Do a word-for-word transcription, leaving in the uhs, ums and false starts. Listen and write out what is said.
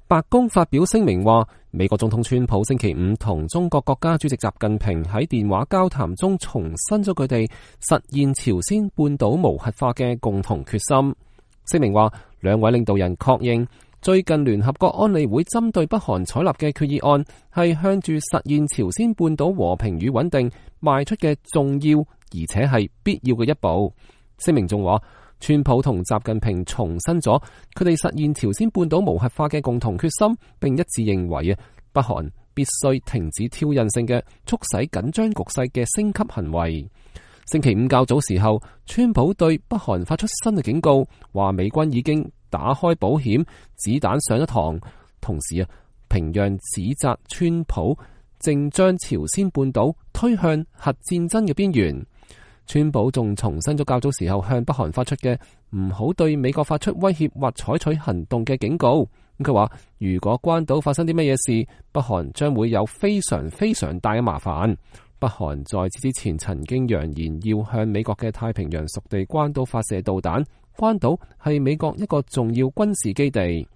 白宮發表聲明話，美國總統川普星期五同中國國家主席習近平喺電話交談中重申咗佢哋實現朝鮮半島無核化嘅共同決心。聲明話，兩位領導人確認最近聯合國安理會針對北韓採納嘅決議案係向住實現朝鮮半島和平與穩定邁出嘅重要而且係必要嘅一步。聲明仲話，川普同習近平重申咗佢哋實現朝鮮半島無核化嘅共同決心，並一致認為啊，北韓必須停止挑釁性嘅促使緊張局勢嘅升級行為。星期五較早時候，川普對北韓發出新嘅警告，話美軍已經打開保險，子彈上咗膛。同時啊，平壤指責川普正將朝鮮半島推向核戰爭嘅邊緣。川普仲重申咗較早時候向北韓發出嘅唔好對美國發出威脅或採取行動嘅警告。咁佢話，如果關島發生啲乜嘢事，北韓將會有非常非常大嘅麻煩。北韓在此之前曾經揚言要向美國嘅太平洋屬地關島發射導彈，關島係美國一個重要軍事基地。